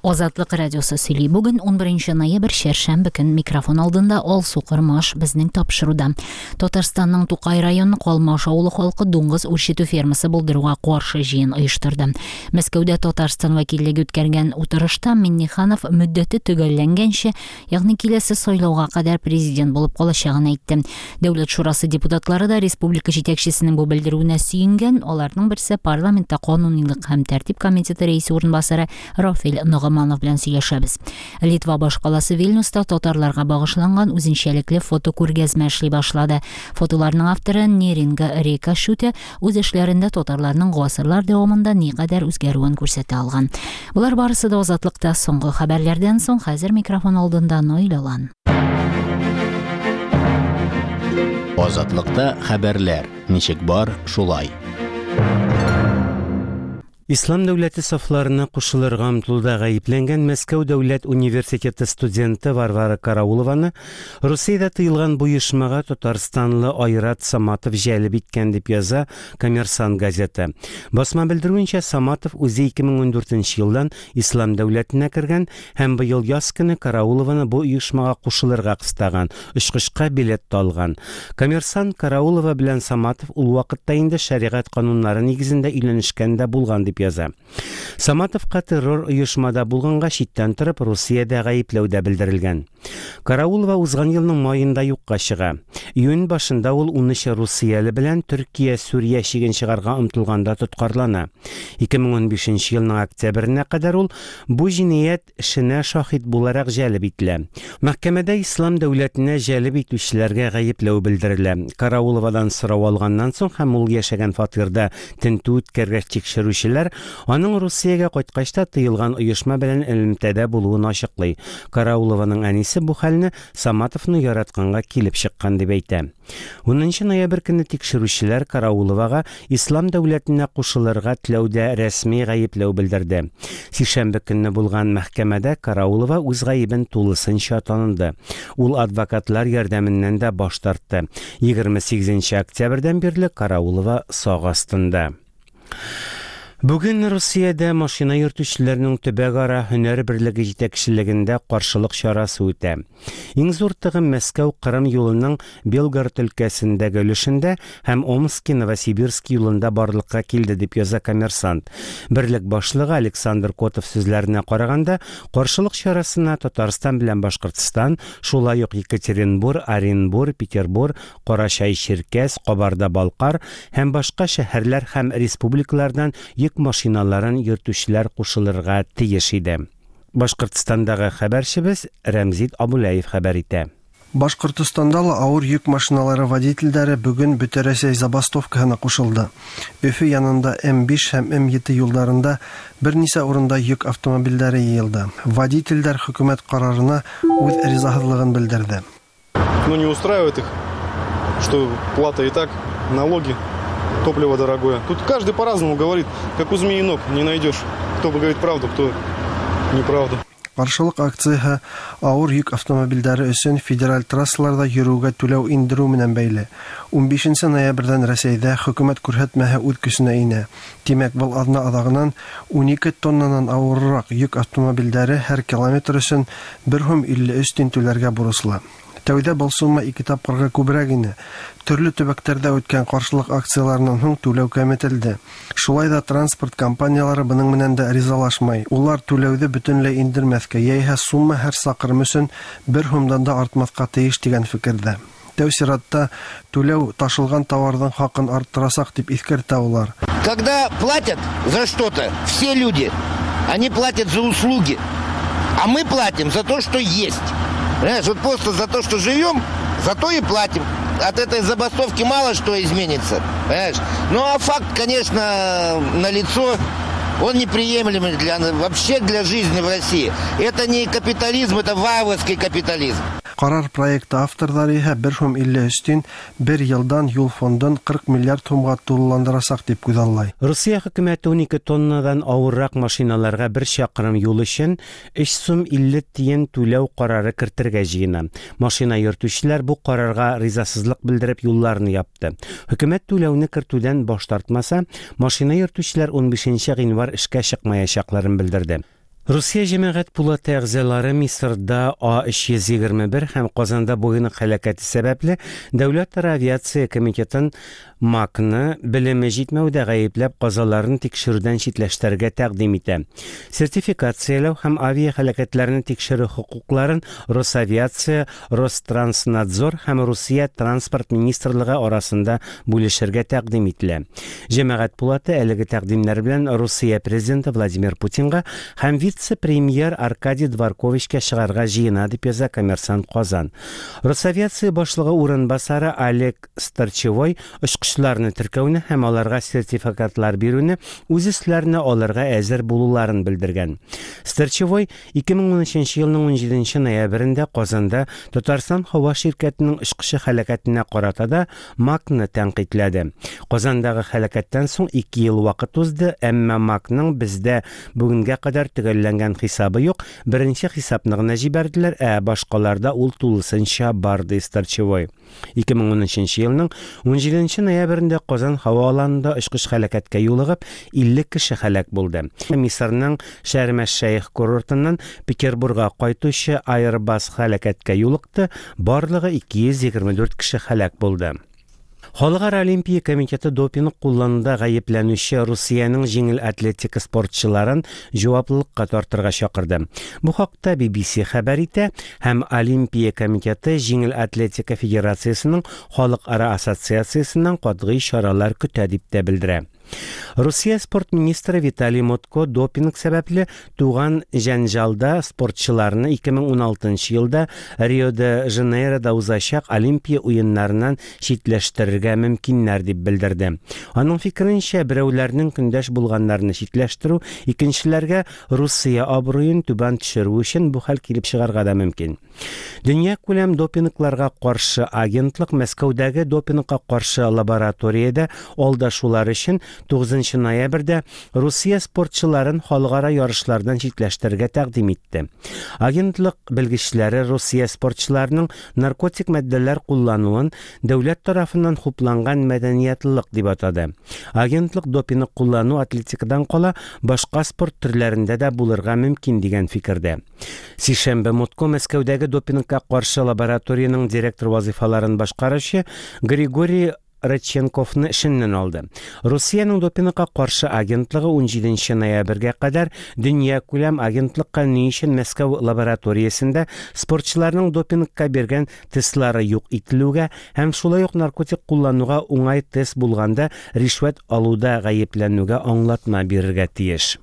Азатлык радиосы сөйли. Бүген 11 ноябрь, чәршәмбе көн. Микрофон алдында Алсу Кормаш безнең тапшыруда. Татарстанның Тукай районы Калмаш авылы халкы дуңгыз үрчетү фермасы булдыруга каршы җыен оештырды. Мәскәүдә Татарстан вәкиллеге үткәргән утырышта Минниханов мөддәте төгәлләнгәнче, ягъни киләсе сайлауга кадәр президент булып калачагын әйтте. Дәүләт шурасы депутатлары да республика җитәкчесенең бу белдерүенә сөенгән. Аларның берсе парламентта канунилык һәм тәртип комитеты рәисе урынбасары Рафил Ногыманов белән сөйләшәбез. Литва башкаласы Вильнюста татарларга багышланган үзенчәлекле фотокүргәзмә эшли башлады. Фотоларның авторы Неринга Река Шүте үз эшләрендә татарларның гасырлар дәвамында никадәр үзгәрүен күрсәтә алган. Болар барысы да Азатлыкта соңгы хәбәрләрдән соң, хәзер микрофон алдында Наил Алан. Азатлыкта хәбәрләр, ничек бар, шулай. Ислам дәүләте сафларына кушылырга омтылуда гаепләнгән Мәскәү дәүләт университеты студенты Варвара Караулованы Русиядә тыелган бу оешмага татарстанлы Айрат Саматов җәлеп иткән дип яза Коммерсант газеты. Басма белдерүенчә, Саматов үзе 2014 елдан Ислам дәүләтенә кергән һәм быел яз көне Караулованы бу оешмага кушылырга кыстаган, очкычка билет та алган. Коммерсант Караулова белән Саматов ул вакытта инде шәригать кануннары нигезендә өйләнешкән дә булган дип яза. Саматовка террор оешмада булганга читтән торып Русиядә гаепләү дә белдерелгән. Караулова узган елның маенда юкка чыга. Июнь башында ул 13 русияле белән Төркия-Сүрия чиген чыгарга омтылганда тоткарлана. 2015 елның октябренә кадәр ул бу җинаять эшенә шаһит буларак җәлеп ителә. Мәхкәмәдә Ислам дәүләтенә җәлеп итүчеләргә гаепләү белдерелә. Карауловадан сорау алганнан соң һәм ул яшәгән фатирда тентү үткәргәч тикшерүчеләр аның Русиягә кайткач та тыелган оешма белән элемтәдә булуын ачыклый. Караулованың әнисе бу хәлне Саматовны яратканга килеп чыккан дип әйтә. Унынчы ноябрь көнне тикшерүчеләр Карауловага Ислам дәүләтенә кушылырга теләүдә рәсми гаепләү белдерде. Сишәмбе көнне булган мәхкәмәдә Караулова үз гаебен тулысынча таныды. Ул адвокатлар ярдәменнән дә баш тартты. 28 октябрьдән бирле Караулова сак астында. Бүген Русиядә машина йөртүчеләрнең төбәкара һөнәр берлеге җитәкчелегендә каршылык чарасы үтә. Иң зур тыгым Мәскәү-Кырым юлының Белгород өлкәсендәге өлешендә һәм Омски-Новосибирск юлында барлыкка килде, дип яза Коммерсант. Берлек башлыгы Александр Котов сүзләренә караганда, каршылык чарасына Татарстан белән Башкортстан, шулай ук Екатеринбур, Оренбур, Петербур, Карачай-Чиркәс, Кабарда-Балкар һәм башка шәһәрләр һәм республикалардан йөк машиналарын йөртүчеләр кушылырга тиеш иде. Башкортстандагы хәбәрчебез Рәмзит Абуләев хәбәр итә. Башкортостанда ла авыр йөк машиналары водительләре бүген Бөтәрәсәй забастовкаһына кушылды. Өфе янында М-5 һәм М-7 юлдарында берничә урында йөк автомобильләре йыелды. Водительләр хөкүмәт карарына үз ризасызлыгын белдерде. Ну, не устраивает их, что плата и так, налоги, топливо дорогое. Тут каждый по-разному говорит, как у змеи ног, не найдешь, кто говорит правду, кто неправду. Каршылык акцияһе авыр йөк автомобильләре өчен федераль трассаларда йөрүгә түләү индерү менән бәйле. Унбишенче ноябрьдән Рәсәйдә хөкүмәт күрһәтмәһе үз көченә инә. Димәк, был аҙна аҙағынан 12 тоннанан ауырыраҡ йөк автомобильдәре һәр километр өсөн бер һум 53 тин түләргә бурыслы. Тәүҙә был сумма ике тапҡырға күберәк ине. Төрлө төбәктәрҙә үткән ҡаршылыҡ акцияларынан һуң түләү кәметелде. Шулай ҙа транспорт компаниялары бының менән дә ризалашмай. Улар түләүҙе бөтөнләй индермәҫкә, йәиһә сумма һәр саҡрым өсөн бер һумдан да артмаҫҡа тейеш тигән фекерҙә. Тәү сиратта түләү ташылған тауарҙың хаҡын арттырасаҡ дип иҫкәртә улар. Когда платят за что-то, все люди, они платят за услуги, а мы платим за то, что есть. Понимаешь, вот просто за то, что живем, за то и платим. От этой забастовки мало что изменится, понимаешь? Ну а факт, конечно, налицо. Он неприемлемый для, вообще для жизни в России. Это не капитализм, это варварский капитализм. Ҡарар проекты авторҙары иһә бер һум 53 тин бер йылдан юл фондын 40 миллиард һумға тулыландырасаҡ тип күҙаллай. Русия хөкүмәте 12 тоннадан авыррак машиналарга бер чакрым юл өчен 3 сум 50 тиен түләү карары кертергә җыена. Машина йөртүчеләр бу карарга ризасызлык белдереп юлларны япты. Хөкүмәт түләүне кертүдән баш тартмаса, машина йөртүчеләр 15 гыйнвар эшкә чыкмаячакларын белдерде. Русия җәмәгать пулаты әгъзалары Мисырда А-321 һәм Казанда Боинг һәлакәте сәбәпле Дәүләтара авиация комитетын МАКны белеме җитмәүдә гаепләп казаларны тикшерүдән читләштерергә тәкъдим итә. Сертификацияләү һәм авиаһәлакәтләрне тикшерү хокукларын Росавиация, Ространснадзор һәм Русия Транспорт министрлыгы арасында бүлешергә тәкъдим ителә. Җәмәгать пулаты әлеге тәкъдимнәр белән Русия Президенты Владимир Путинга һәм вице-премьер Аркадий Дворковичка чыгарга җыена, дип яза Коммерсант Казан. Росавиация башлыгы урынбасары Олег Старчевой очкычларны теркәүне һәм аларга сертификатлар бирүне үз өсләренә алырга әзер булуларын белдергән. Старчевой 2013 елның 17 ноябрендә Казанда Татарстан һава ширкәтенең очкычы һәлакәтенә карата да МАКны тәнкыйтьләде. Казандагы һәлакәттән соң 2 ел вакыт узды, әмма МАКның бездә бүгенгә кадәр төгәлләнгән хисабы юк, беренче хисапны гына җибәрделәр, ә башкаларда ул тулысынча бар, ди Старчевой. 2013 елның 17 ноябрендә Казан һава аланында очкыч һәлакәткә юлыгып, 50 кеше һәлак булды. Мисырның Шәрм-әш-Шәех курортыннан Петербурга кайтучы Airbus һәлакәткә юлыкты, барлыгы 224 кеше һәлак булды. Халыкара Олимпия комитеты допинг куллануда гаепләнүче Русиянең җиңел атлетика спортчыларын җаваплылыкка тартырга чакырды. Бу хакта BBC хәбәр итә һәм Олимпия комитеты Җиңел атлетика федерациясенең халыкара ассоциациясеннән катгый чаралар көтә дип тә белдерә. Русия спорт министры Виталий Мутко допинг сәбәпле туган җәнҗалда спортчыларны 2016 елда Рио-де-Жанейрода узачак Олимпия уеннарыннан читләштерергә мөмкиннәр дип белдерде. Аның фикеренчә, берәүләрнең көндәш булганнарны читләштерү, икенчеләргә Русия абруен түбән төшерү өчен бу хәл килеп чыгарга да мөмкин. Дөньякүләм допингларга каршы агентлык Мәскәүдәге допингка каршы лабораториядә алдашулар өчен 9 ноябрьдә Русия спортчыларын халыкара ярышлардан читләштерергә тәкъдим итте. Агентлык белгечләре Русия спортчыларының наркотик матдәләр куллануын дәүләт тарафыннан хупланган мәдәниятлылык дип атады. Агентлык допинг куллану атлетикадан кала башка спорт төрләрендә дә булырга мөмкин дигән фикердә. Сишәмбе Мутко Мәскәүдәге допингка каршы лабораториянең директор вазифаларын башкаручы Григорий Родченковны эшеннән алды. Русиянең допингка каршы агентлыгы 17 ноябрьгә кадәр дөньякүләм агентлыкка ни өчен Мәскәү лабораториясендә спортчыларның допингка биргән тестлары юк ителүгә һәм шулай ук наркотик куллануга уңай тест булганда ришвәт алуда гаепләнүгә аңлатма бирергә тиеш.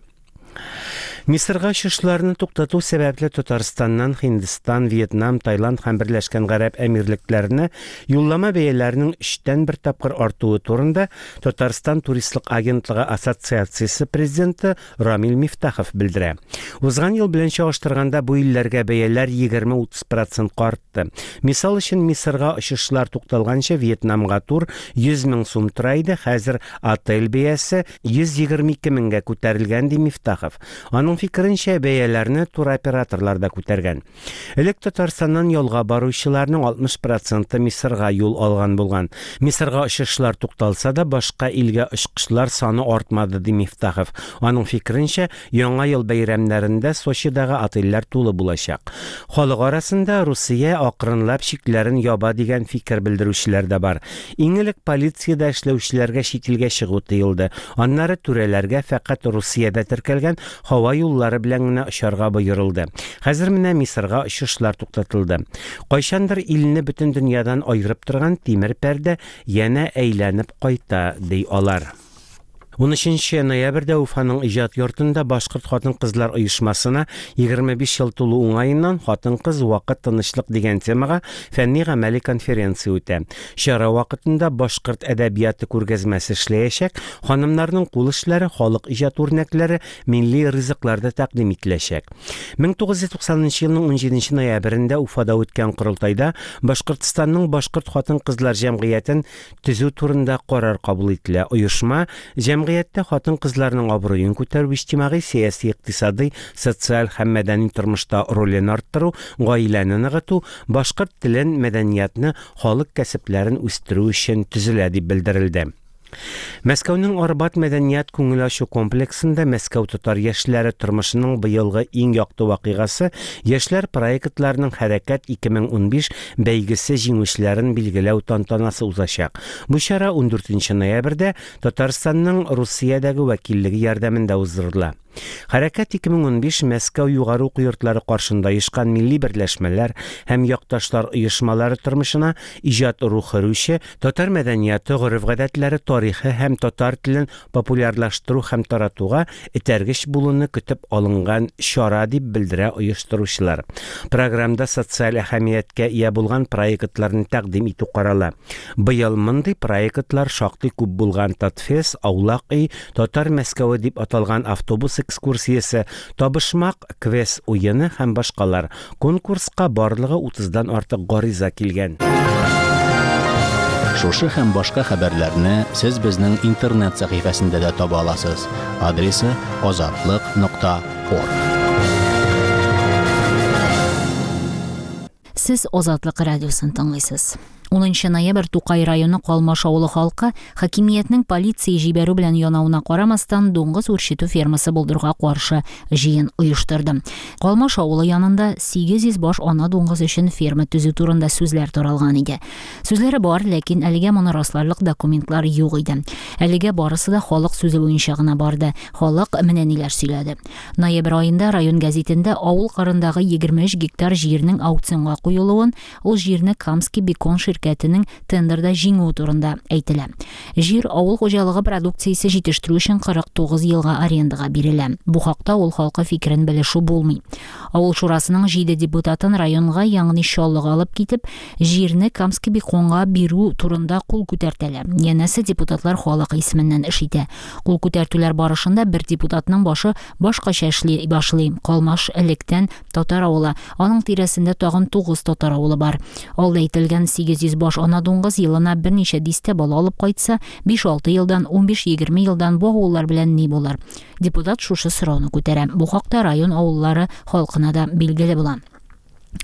Мисырга очышларны туктату сәбәпле Татарстаннан Һиндстан, Вьетнам, Таиланд һәм Берләшкән Гарәп Әмирлекләренә юллама бәяләренең өчтән бер тапкыр артуы турында Татарстан туристлык агентлыгы ассоциациясе президенты Рамил Мифтахов белдерә. Узган ел белән чагыштырганда бу илләргә бәяләр 20-30 процентка артты. Мисал өчен, Мисырга очышлар тукталганчы Вьетнамга тур 100 мең сум тора иде, хәзер отель бәясе 122 меңгә күтәрелгән, ди Мифтахов. Аның фикеренчә, бәяләрне туроператорлар да күтәргән. Элек Татарстаннан ялга баручыларның 60 проценты Мисырга юл алган булган. Мисырга очышлар тукталса да, башка илгә очкычлар саны артмады, ди Мифтахов. Аның фикеренчә, Яңа ел бәйрәмнәрендә Сочидагы отельләр тулы булачак. Халык арасында Русия акрынлап чикләрен яба дигән фикер белдерүчеләр дә бар. Иң элек полициядә эшләүчеләргә чит илгә чыгу тыелды. Аннары түрәләргә фәкать Русиядә теркәлгән һава юллары белән генә очарга боерылды. Хәзер менә Мисырга очышлар туктатылды. Кайчандыр илне бөтен дөньядан аерып торган тимер пәрдә янә әйләнеп кайта, ди алар. 13 ноябрьдә Уфаның иҗат йортында Башкорт хатын-кызлар оешмасына 25 ел тулу уңаеннан Хатын-кыз, вакыт, тынычлык дигән темага фәнни-гамәли конференция үтә. Чара вакытында башкорт әдәбияты күргәзмәсе эшләячәк, ханымнарның кул эшләре, халык иҗат үрнәкләре, милли ризыклар да тәкъдим ителәчәк. 1990 елның 17 ноябрендә Уфада үткән корылтайда Башкортстанның башкорт хатын-кызлар җәмгыятен төзү турында карар кабул ителә. Оешма җәмгыятьтә хатын-кызларның абруен күтәрү, иҗтимагый, сәяси, икътисадый, социаль һәм мәдәни тормышта ролен арттыру, гаиләне ныгыту, башкорт телен, мәдәниятны, халык кәсепләрен үстерү өчен төзелә дип белдерелде. Мәскәүнең Арбат мәдәният күңел ачу комплексында Мәскәү татар яшьләре тормышының быелгы иң якты вакыйгасы яшьләр проектларының Хәрәкәт 2015 бәйгесе җиңүчеләрен билгеләү тантанасы узачак. Бу чара 14 ноябрьдә Татарстанның Русиядәге вәкиллеге ярдәмендә уздырыла. Хәрәкәт 2015 Мәскәү югары уку йортлары каршында оешкан милли берләшмәләр һәм якташлар оешмалары тормышына иҗат рухы өрүче, татар мәдәнияты, гореф-гадәтләре, тарихы һәм татар телен популярлаштыру һәм таратуга этәргеч булуны көтеп алынган чара, дип белдерә оештыручылар. Програмда социаль әһәмияткә ия булган проектларны тәкъдим итү карала. Быел мондый проектлар шактый күп булган Татфест, Аулак өй, Татар Мәскәве дип аталган автобус экскурсиясе, Табышмак квест уены һәм башкалар. Конкурска барлыгы утыздан артык гариза килгән. Шушы һәм башка хәбәрләрне сез безнең интернет сәхифәсендә дә таба аласыз. Адресы азатлык нокта орг. Сез Азатлык радиосын тыңлыйсыз. 10 ноябрь Тукай районы Калмаш авылы халкы хакимиятнең полиция җибәрү белән янавына карамастан дуңгыз үрчетү фермасы булдыруга каршы җыен оештырды. Калмаш авылы янында 800 баш ана дуңгыз өчен ферма төзү турында сүзләр таралган иде. Сүзләре бар, ләкин әлегә моны расларлык документлар юк иде. Әлегә барысы да халык сүзе буенча гына барды. Халык менә ниләр сөйләде. Ноябрь аенда район гәзитендә авыл кырындагы 23 гектар җирнең аукционга куелуын, ул җирне Камский бекон ширкәтенең тендерда җиңүе турында әйтелә. Җир авыл хуҗалыгы продукциясе җитештерү өчен 49 елга арендага бирелә. Бу хакта авыл халкы фикерен белешү булмый. Авыл шурасының җиде депутатын районга, ягъни Чаллыга алып китеп, җирне Камский беконга бирү турында кул күтәртәләр. Янәсе, депутатлар халык исеменнән эш итә. Кул күтәртүләр барышында бер депутатның башы башкача эшли башлый. Калмаш электән татар авылы. Аның тирәсендә тагын 9 татар авылы бар. Алда әйтелгән 800 баш ана дуңгыз елына берничә дистә бала алып кайтса, 5-6 елдан, 15-20 елдан бу авыллар белән ни булыр? Депутат шушы сорауны күтәрә. Бу хакта район авыллары халкына да билгеле була.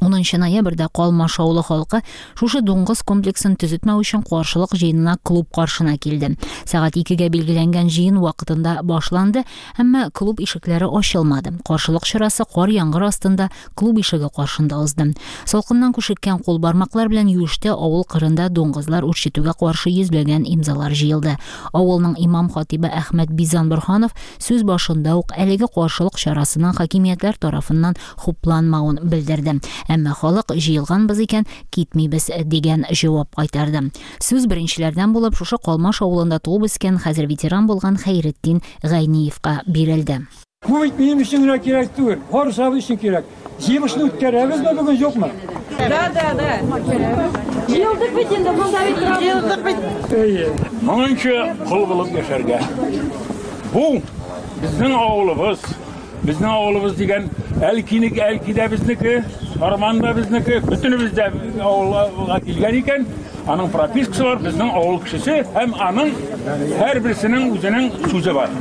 10 ноябрьдә Калмаш авылы халкы шушы дуңгыз комплексын төзетмәү өчен каршылык җыенына клуб каршына килде. Сәгать 2-гә билгеләнгән җыен вакытында башланды, әмма клуб ишекләре ачылмады. Каршылык чарасы кар-яңгыр астында клуб ишеге каршында узды. Салкыннан күшеккән кул бармаклар белән юештә авыл кырында дуңгызлар үрчетүгә каршы йөзләгән имзалар җыелды. Авылның имам хатибы Әхмәт Бизан Борһанов сүз башында ук әлеге каршылык чарасының хакимиятләр тарафыннан хупланмавын белдерде. Әмма халык җыелганбыз икән, китмибез дигән җавап кайтарды. Сүз беренчеләрдән булып шушы Калмаш авылында туып үскән, хәзер ветеран булган Хәйретдин Гайниевка бирелде. Бу бит минем өчен генә кирәк түгел, барысыбыз өчен кирәк. Җыелышны үткәрәбезме бүген, юкмы? Да, да, да. Җыелдык бит инде, монда бит торабыз. Җыелдык бит. Әйе. Моңынчы кол булып яшәргә. Бу безнең авылыбыз. Безнең авылыбыз дигән Әлкинеке, Әлки дә безнеке, Сарман да безнеке, бөтенебез дә авылга килгән икән, аның пропискасы бар, безнең авыл кешесе һәм аның һәрберсенең үзенең сүзе бар.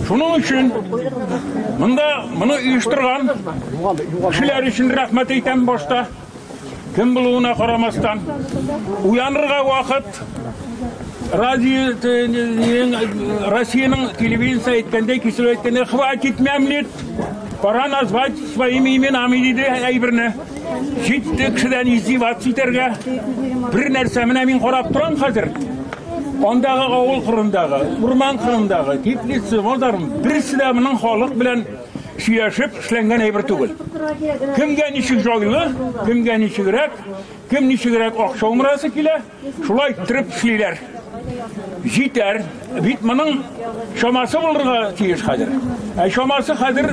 Шуның өчен монда моны оештырган кешеләр өчен рәхмәт әйтәм башта. Кем булуына карамастан, уянырга вакыт. Радио Россиянең телевидениесе әйткәндәй, кисеп әйткәндәй, хватит мямлить, пора назвать своими именами диде әйберне. Җитте кешедән издеваться итәргә. Бер нәрсә менә мин карап торам хәзер. Андагы авыл кырындагы, урман кырындагы, теплица, базар, берсе дә моның халык белән сөйләшеп эшләнгән әйбер түгел. Кемгә ничек җайлы, кемгә ничегрәк, кем ничегрәк акча умырасы килә, шулай иттереп эшлиләр. Җитәр. Бит моның чамасы булырга тиеш хәзер. Ә чамасы хәзер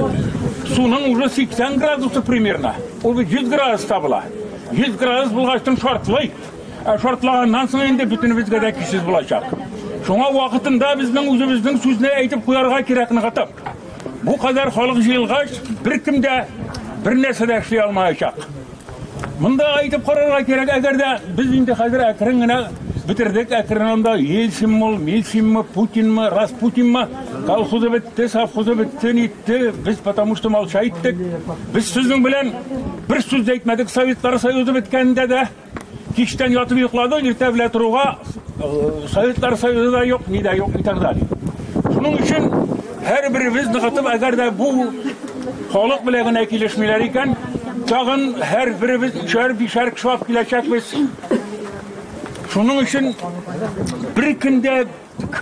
суның уже 80 градусы примерно. Ул бит 100 градуста була. 100 градус булгачтын шартлый. Ә шартлаганнан соң инде бөтенебезгә дә көчсез булачак. Шуңа вакытында безнең үзебезнең сүзне әйтеп куярга кирәк ныгытып. Бу кадәр халык җыелгач, беркем дә бер нәрсә дә эшли алмаячак. Монда әйтеп карарга кирәк, әгәр дә без инде хәзер әкрен генә бетердек, әкрен анда Ельцинмы ул, Мельцинмы, Путинмы, Распутинмы, колхозы бетте, совхозы бетте, нитте, без потому что молча иттек. Без сезнең белән бер сүз дә әйтмәдек Советлар Союзы беткәндә дә. Кичтән ятып йокладык, иртә белән торуга Советлар Союзы да юк, ни дә юк и так далее. Шуның өчен һәрберебез ныгытып, әгәр дә бу халык белән генә килешмиләр икән, тагын һәрберебез өчәр, бишәр кеше алып киләчәкбез. Шуның өчен бер көндә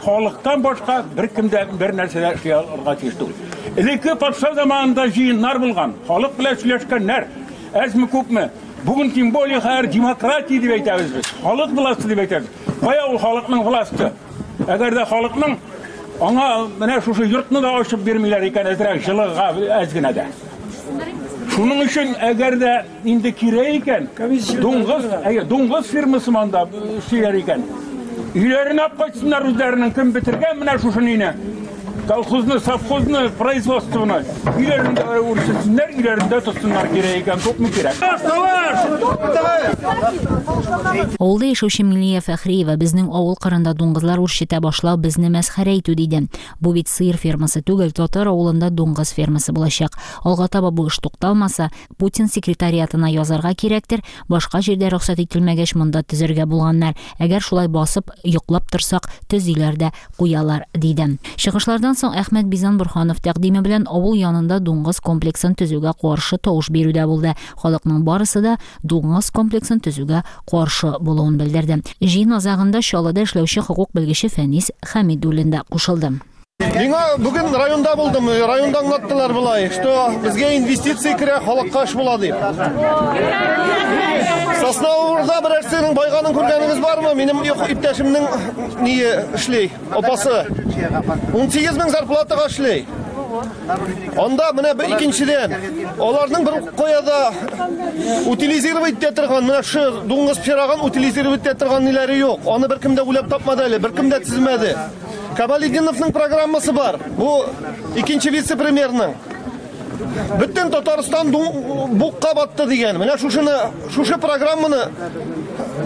халыктан башка беркем дә бер нәрсә дә эшли алырга тиеш түгел. Элекке патша заманында җыеннар булган, халык белән сөйләшкәннәр, әзме күпме. Бүген тем более хәзер демократия дип әйтәбез без. Халык власте дип әйтәбез. Кая ул халыкның власте? Әгәр дә халыкның аңа менә шушы йортны да ачып бирмиләр икән әзрәк җылыга әз генә дә. Шуның өчен әгәр дә инде кирәк икән, дуңгыз, әйе, дуңгыз фирмасы монда эшлиләр икән. Өйләренә алып кайтсыннар үзләренең кем бетергән менә шушы нине. Колхозны, совхозны, производствоны өйләрендә үрчетсеннәр, өйләрендә тотсыннар кирәк икән, күпме кирәк. Авылда яшәүче Милия Фәхриева безнең авыл кырында дуңгызлар үрчетә башлау безне мәсхәрә итү диде. Бу бит сыер фермасы түгел, татар авылында дуңгыз фермасы булачак. Алга таба бу эш тукталмаса, Путин секретариатына язарга кирәктер, башка җирдә рөхсәт ителмәгәч, монда төзергә булганнар. Әгәр шулай басып, йоклап торсак, төзиләр дә куялар, диде. Чыгышлардан соң Әхмәт Бизан Борһанов тәкъдиме белән авыл янында дуңгыз комплексын төзүгә каршы тавыш бирү дә булды. Халыкның барысы да дуңгыз комплексын төзүгә каршы булуын белдерде. Җыен азагында Чаллыда эшләүче хокук белгече Фәнис Хәмидуллин да кушылды. Миңа бүген районда булдым, районда аңлаттылар болай, что безгә инвестиция керә, халыкка эш була дип. Сосновоборда берәрсенең байганын күргәнегез бармы? Минем иптәшемнең ние эшли, апасы. 18 мең зарплатага эшли. Анда менә бер икенчедән, аларның бер кая да утилизировать итә торган, менә шу дуңгыз пирагын утилизировать итә торган ниләре юк. Аны беркем дә уйлап тапмады әле, беркем дә төземәде. Камалетдиновның программасы бар. Бу икенче вице-премьерның. Бөтен Татарстан букка батты дигән. Менә шушыны, шушы программаны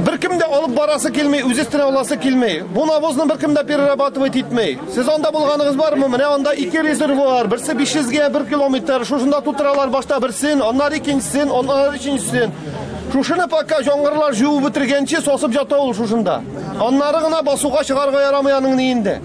беркем дә алып барасы килми, үз өстенә аласы килми. Бу навозны беркем дә перерабатывать итми. Сез анда булганыгыз бармы? Менә анда ике резервуар, берсе 500 гә 1 километр. Шушында тутыралар башта берсен, аннары икенчесен, аннары өченчесен. Шушыны пока яңгырлар җуып бетергәнче сосып ята ул шушында. Аннары гына басуга чыгарга ярамый аның ниендә.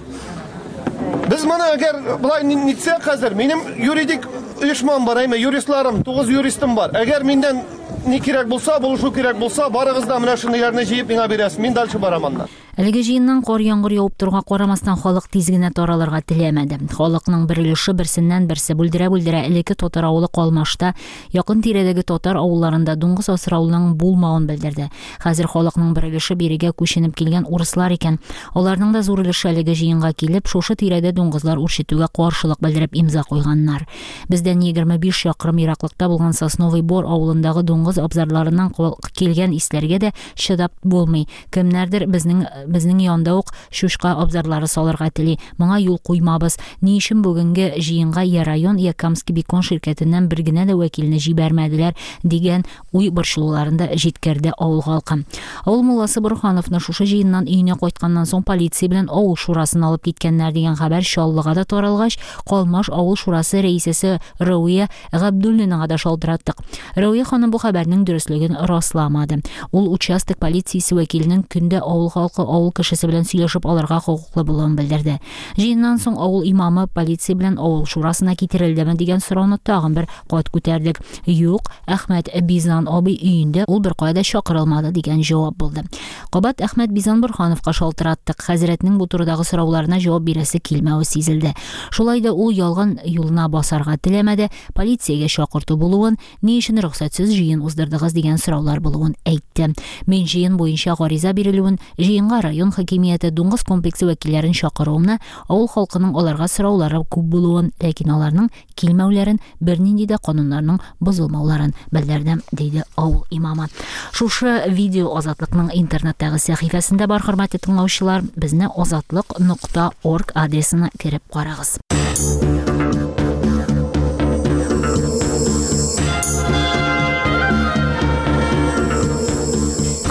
Без моны әгәр болай нитсәк хәзер, минем юридик оешмам бар, әйме, юристларым, 9 юристым бар. Әгәр миннән ни кирәк булса, булышу кирәк булса, барыгыз да менә шундыйларны җыеп миңа бирәсез. Мин дальше барам аннан. Әлеге җыеннан кар-яңгыр явып торуга карамастан, халык тиз генә таралырга теләмәде. Халыкның бер өлеше берсеннән берсе бүлдерә-бүлдерә элекке татар авылы Калмашта, якын тирәдәге татар авылларында дуңгыз асрауның булмавын белдерде. Хәзер халыкның бер өлеше бирегә күченеп килгән урыслар икән. Аларның да зур өлеше әлеге җыенга килеп, шушы тирәдә дуңгызлар үрчетүгә каршылык белдереп имза куйганнар. Бездән 25 чакрым ераклыкта булган Сосновый Бор авылындагы дуңгыз абзарларыннан килгән исләргә дә чыдап булмый. Кемнәрдер безнең безнең янда ук чучка абзарлары салырга тели. Моңа юл куймабыз. Ни өчен бүгенге җыенга я район, я Камский бекон ширкәтеннән бер генә дә вәкилне җибәрмәделәр, дигән уй борчылуларын да җиткерде авыл халкы. Авыл мулласы Борһановны шушы җыеннан өенә кайтканнан соң полиция белән авыл шурасын алып киткәннәр дигән хәбәр Чаллыга да таралгач, Калмаш авыл шурасы рәисәсе Рәвия Габдуллинага да шалтыраттык. Рәвия ханым бу хәбәрнең дөреслеген расламады. Ул участок полициясе вәкиленең көндә авыл халкы, авыл кешесе белән сөйләшеп алырга хокуклы булуын белдерде. Җыеннан соң авыл имамы полиция белән авыл шурасына китерелдеме дигән сорауны тагын бер кат күтәрдек. Юк, Әхмәт Бизан абый өендә, ул беркая да чакырылмады дигән җавап булды. Кабат Әхмәт Бизан Борһановка шалтыраттык. Хәзрәтнең бу турыдагы сорауларына җавап бирәсе килмәве сизелде. Шулай да ул ялган юлына басарга теләмәде, полициягә чакырту булуын, ни өчен рөхсәтсез җыен уздырдыгыз дигән сораулар булуын әйтте. Мин җыен буенча гариза бирелүен, җыенга район хакимияте, дуңгыз комплексы вәкилләрен чакыруымны, авыл халкының аларга сораулары күп булуын, ләкин аларның килмәүләрен, бернинди дә кануннарның бозылмауларын белдерде, диде авыл имамы. Шушы видео Азатлыкның интернеттагы сәхифәсендә бар, хөрмәтле тыңлаучылар. Безне азатлык.орг адресына кереп карагыз.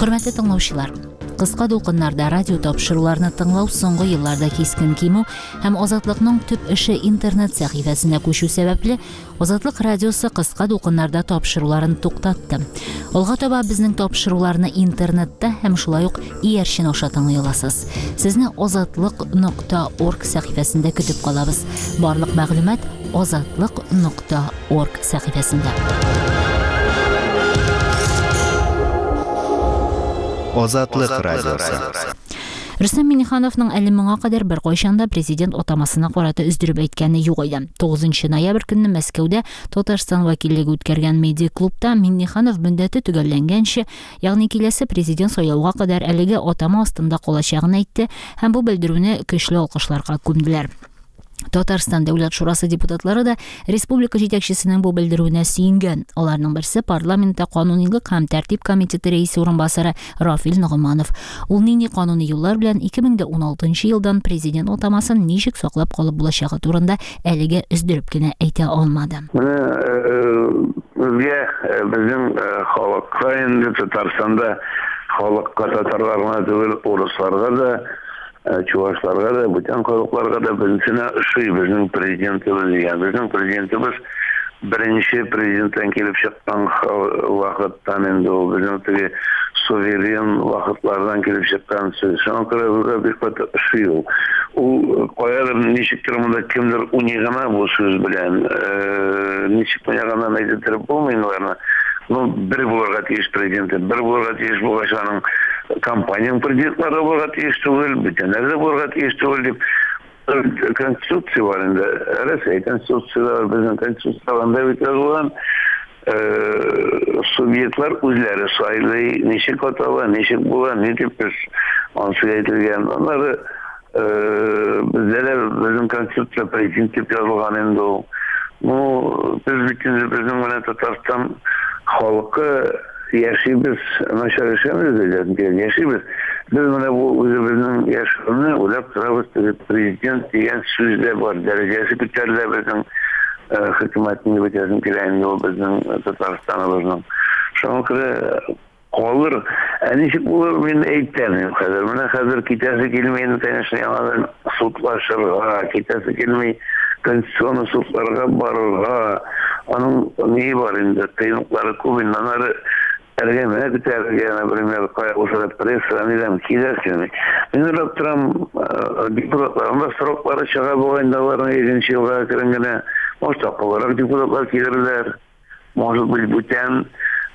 Хөрмәтле тыңлаучылар, Кыска дулкыннарда радио тапшыруларны тыңлау соңгы елларда кискен кимү һәм Азатлыкның төп эше интернет сәхифәсенә күчү сәбәпле, Азатлык радиосы кыска дулкыннарда тапшыруларын туктатты. Алга таба безнең тапшыруларны интернетта һәм шулай ук иярчен аша тыңлый аласыз. Сезне азатлык нокта орг сәхифәсендә көтеп калабыз. Барлык мәгълүмат азатлык нокта орг сәхифәсендә. Азатлык радиосы. Рөстәм Миңнехановның әле моңа кадәр беркайчан да президент атамасына карата өздереп әйткәне юк иде. 9 ноябрь көнне Мәскәүдә Татарстан вәкиллеге үткәргән медиа-клубта Миңнеханов мөддәте төгәлләнгәнче, ягъни киләсе президент сайлауга кадәр әлеге атама астында калачагын әйтте һәм бу белдерүне көчле алкышларга күмделәр. Татарстан Дәүләт Шурасы депутатлары да республика җитәкчесенең бу белдерүенә сөенгән. Аларның берсе парламентта канунилык һәм тәртип комитеты рәисе урынбасары Рафил Ногманов. Ул нинди кануни юллар белән 2016 елдан президент атамасын ничек саклап калып булачагы турында әлегә өздереп кенә әйтә алмады. Менә безгә, безнең халыкка инде Татарстанда халыкка татарлар гына түгел, урысларга да Чувашларга да, бүтән халыкларга да беренченә ошый безнең президентыбыз дигән. Безнең президентыбыз беренче президенттан килеп чыккан вакыттан инде ул безнең теге суверен вакытлардан килеп чыккан сүз. Шуңа күрә безгә бик каты ошый ул. Ул каядыр ничектер монда кемдер уйный гына бу сүз белән. Ничек уйнаганын әйтеп булмый инде аларны. Ну, бер булырга тиеш президенты, бер булырга тиеш булгач, аның компаниянең президентлары булырга тиеш түгел, бүтәннәр дә булырга тиеш түгел дип конституция бар инде. Рәсәй конституциясе бар, безнең конституция анда бит язылган. Субъектлар үзләре сайлый, ничек атала, ничек була, ни дип без анысы әйтелгән. Аннары бездә дә безнең конституция президент дип язылган инде ул. Ну, без бит инде безнең менә Татарстан халкы яшибез, начар яшәмибез диләр, яшибез. Без менә бу үзебезнең яшәүне уйлап торабыз, теге президент дигән сүз дә бар, дәрәҗәсе күтәрелә безнең хөкүмәтнең дип әйтәсем килә инде ул безнең Татарстаныбызның. Шуңа күрә калыр. Ә ничек булыр, мин әйтәмим хәзер. Менә хәзер китәсе килми инде, конечно, яңадан судлашырга, китәсе килми конституцион судларга барырга. Аның ни бар инде, кыенлыклары күп инде. Аннары әңгәмә көтәргә, например, кая булса да пресса, нидән киләсе килми. Мин уйлап торам, депутатларның да сроклары чыга бугай инде аларның икенче елга әкрен генә. Может, акыллырак депутатлар килерләр. Может быть, бүтән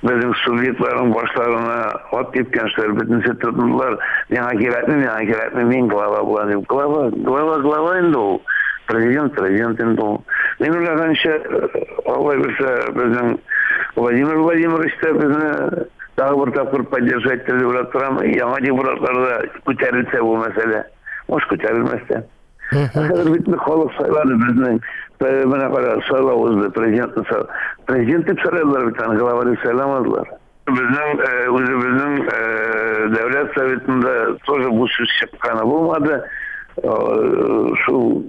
безнең субъектларның башларына ат типкән шулар бөтенесе тотындылар. Миңа кирәкми, миңа кирәкми, мин глава булам дип. Глава, глава, глава инде ул. Президент, президент инде ул. Мин уйлаганча, Алла бирсә, безнең Владимир Владимирович та безне тагы бер тапкыр поддержать итәр дип уйлап торам. Яңа депутатлар да күтәрелсә бу мәсьәлә. Может, күтәрелмәс тә. Хәзер бит халык сайлады безнең. Менә кара, сайлау узды, президентны президент дип сайладылар бит аны, глава дип сайламадылар. Безнең үзебезнең Дәүләт Советында тоже бу сүз чыкканы булмады. Шул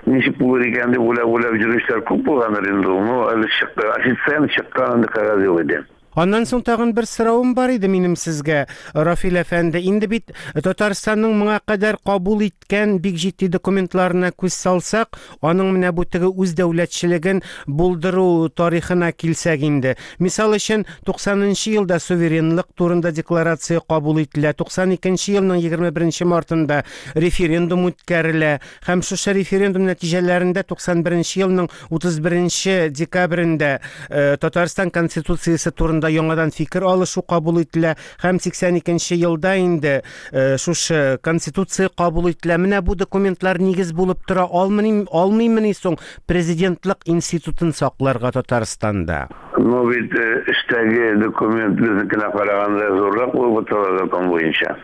ничек булыр икән дип уйлап-уйлап йөрүчеләр күп булгандыр инде ул. Ну, әле чыкты, официально чыккан андый кәгазь юк иде. Аннан соң тагын бер соравым бар иде минем сезгә, Рафил әфәнде. Инде бит Татарстанның моңа кадәр кабул иткән бик җитди документларына күз салсак, аның менә бу теге үз дәүләтчелеген булдыру тарихына килсәк инде. Мисал өчен, 90 нчы елда суверенлык турында декларация кабул ителә, 92 нче елның 21 нче мартында референдум үткәрелә һәм шушы референдум нәтиҗәләрендә 91 нче елның 31 нче декабрендә э, Татарстан Конституциясе турында яңадан фикер алышу кабул ителә һәм 82 нче елда инде э, шушы Конституция кабул ителә. Менә бу документлар нигез булып тора алмый, алмыймыни соң президентлык институтын сакларга Татарстанда? Ну бит э, эштәге документ безнекенә караганда зуррак булып тора закон буенча.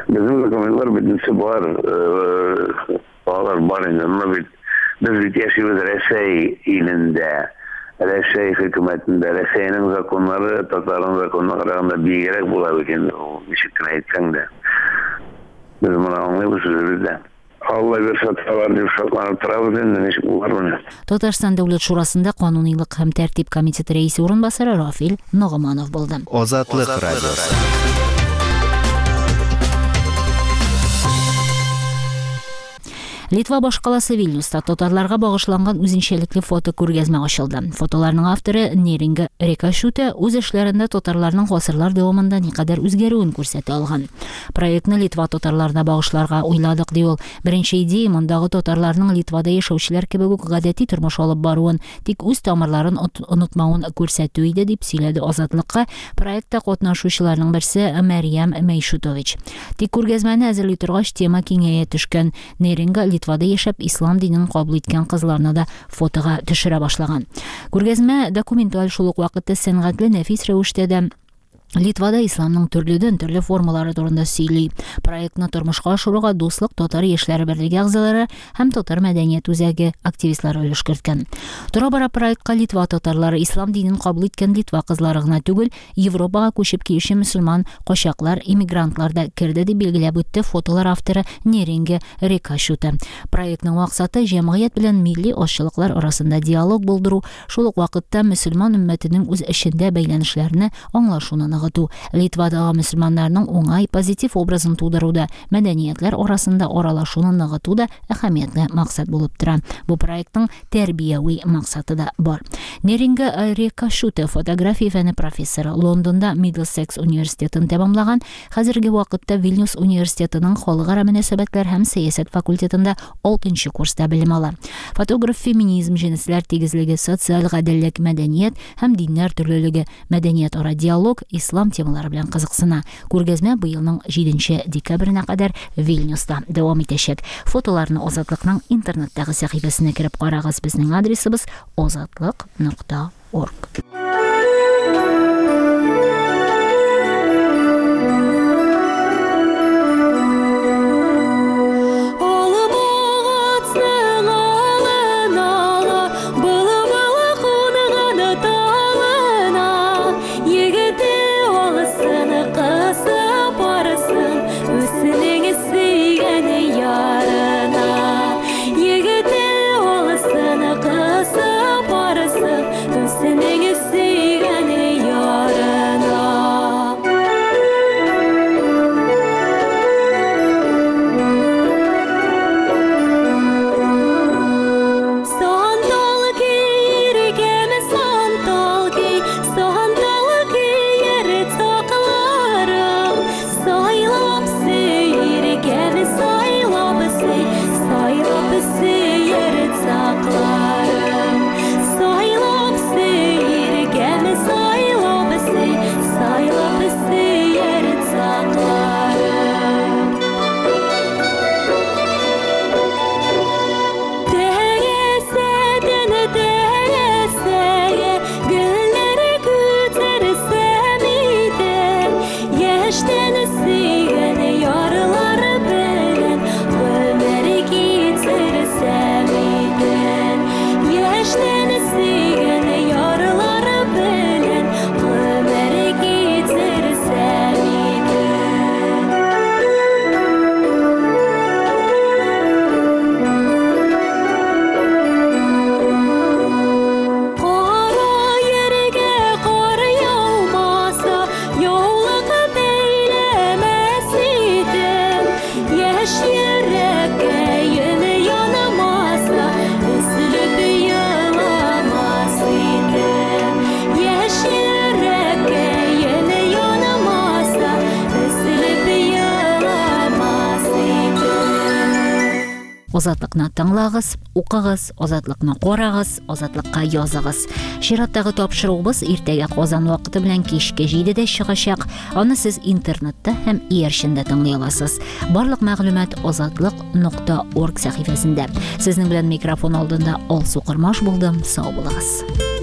Безнең документлар бөтенесе бар, э, алар бар инде. Но бит без бит яшибез Рәсәй илендә, Рәсәй хөкүмәтендә. Рәсәйнең законнары татарның законына караганда биегрәк була бит инде ул, ничек кенә әйтсәң дә. Без моны аңлыйбыз үзебез дә. Алла бирсә табар дип шатланып торабыз инде, ничек булыр менә. Татарстан Дәүләт Шурасында канунилык һәм тәртип комитеты рәисе урынбасары Рафил Ногыманов булды. Азатлык радиосы. Литва башкаласы Вильнюста татарларга багышланган үзенчәлекле фотокүргәзмә ачылды. Фотоларның авторы Неринга Рекашуте үз эшләрендә татарларның гасырлар дәвамында никадәр үзгәрүен күрсәтә алган. Проектны Литва татарларына багышларга уйладык, ди ул. Беренче идея мондагы татарларның Литвада яшәүчеләр кебек үк гадәти тормыш алып баруын, тик үз тамырларын онытмавын күрсәтү иде, дип сөйләде Азатлыкка проектта катнашучыларның берсе Мәрьям Мәйшутович. Тик күргәзмәне әзерли торгач, тема киңәя төшкән. Неринга Литвада яшәп, ислам динен кабул иткән кызларны да фотога төшерә башлаган. Күргәзмә документаль, шул ук вакытта сәнгатьле нәфис рәвештә дә Литвада исламның төрледән төрле формалары турында сөйли. Проектны тормышка ашыруга Дуслык татар яшьләре берлеге әгъзалары һәм Татар мәдәният үзәге активистлары өлеш керткән. Тора-бара проектка Литва татарлары, ислам динен кабул иткән Литва кызлары гына түгел, Европага күчеп килүче мөселман качаклар, иммигрантлар да керде, дип билгеләп үтте фотолар авторы Неринге Рекашута. Проектның максаты җәмгыять белән милли азчылыклар арасында диалог булдыру, шул ук вакытта мөселман өммәтенең үз эчендә бәйләнешләрне, аңлашуны ныгыту, Литвадагы мөселманнарның уңай, позитив образын тудыру да, мәдәниятләр арасында аралашуны ныгыту да әһәмиятле максат булып тора. Бу проектның тәрбияви максаты да бар. Неринга Рекашуте фотография фәне профессоры, Лондонда Миддлсекс университетын тәмамлаган, хәзерге вакытта Вильнюс университетының халыкара мөнәсәбәтләр һәм сәясәт факультетында 6 курста белем ала. Фотограф феминизм, җенесләр тигезлеге, социаль гаделлек, мәдәният һәм диннәр төрлелеге, мәдәниятара диалог, ислам темалары белән кызыксына. Күргәзмә быелның 7 декабренә кадәр Вильнюста дәвам итәчәк. Фотоларны Азатлыкның интернеттагы сәхифәсенә кереп карагыз. Безнең адресыбыз азатлык.орг. Азатлыкны тыңлагыз, укыгыз, Азатлыкны карагыз, Азатлыкка языгыз. Чираттагы тапшыруыбыз иртәгә Казан вакыты белән кичке 7-дә чыгачак. Аны сез интернетта һәм иярчендә тыңлый аласыз. Барлык мәгълүмат азатлык.орг сәхифәсендә. Сезнең белән микрофон алдында Алсу Кормаш булды. Сау булыгыз.